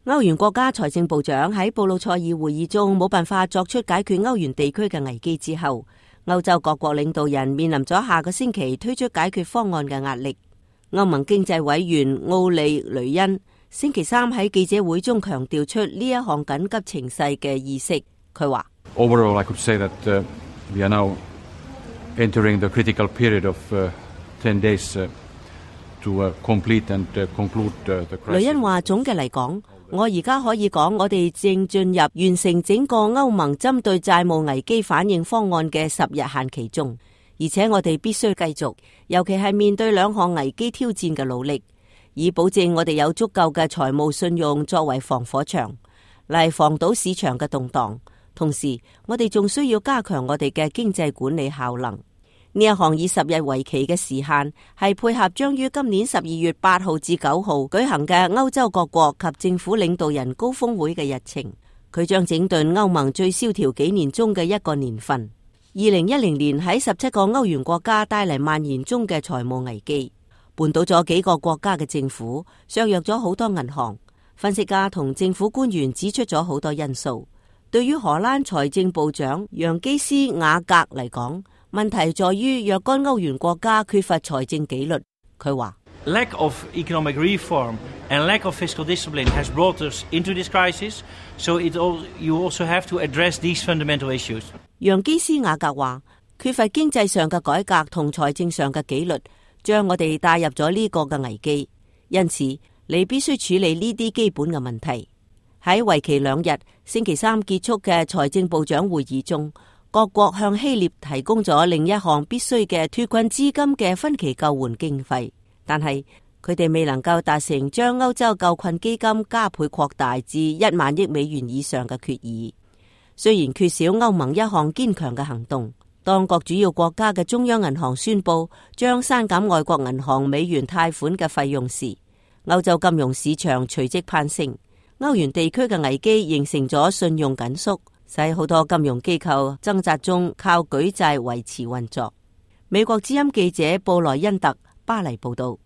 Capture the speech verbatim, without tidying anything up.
歐元國家財政部長喺布魯塞爾會議中冇辦法作出解決歐元地區嘅危機之後，歐洲各國領導人面臨咗下個星期推出解決方案嘅壓力。歐盟經濟委員奧利雷恩星期三喺記者會中強調出呢一項緊急情勢嘅意識。佢話：Overall, I could say that we are now entering the critical period of ten days to complete and conclude the crisis. 雷恩話：總嘅嚟講，我而家可以講，我哋正進入完成整個歐盟針對債務危機反應方案嘅十日限期中，而且我哋必須繼續，尤其係面對兩項危機挑戰嘅努力，以保證我哋有足夠嘅財務信用作為防火牆，嚟防堵市場嘅動盪。同時，我哋仲需要加強我哋嘅經濟管理效能。呢一項以十日為期嘅時限，係配合將於今年十二月八號至九號舉行嘅歐洲各國及政府領導人高峰會嘅日程。佢將整頓歐盟最蕭條幾年中嘅一個年份。二零一零年喺十七個歐元國家帶嚟蔓延中嘅財務危機，絆倒咗幾個國家嘅政府，削弱咗好多銀行。分析家同政府官員指出咗好多因素。對於荷蘭財政部長楊基斯雅格嚟講，問題在於若干歐元國家缺乏財政紀律。佢話 Lack of economic reform and lack of fiscal discipline has brought us into this crisis, so it all, you also have to address these fundamental issues. 楊基斯雅格話，缺乏經濟上嘅改革同財政上嘅紀律，將我哋帶入咗呢個嘅危機。因此，你必須處理呢啲基本嘅問題。喺為期兩日，星期三結束嘅財政部長會議中，各國向希臘提供咗另一項必須嘅脫困資金嘅分期救援經費，但係佢哋未能夠達成將歐洲救困基金加倍擴大至一萬億美元以上嘅決議。雖然缺少歐盟一項堅強嘅行動，當各主要國家嘅中央銀行宣布將刪減外國銀行美元貸款嘅費用時，歐洲金融市場隨即攀升。歐元地區嘅危機形成咗信用緊縮，使好多金融機構掙扎中靠舉債維持運作。美國之音記者布萊恩特巴黎報道。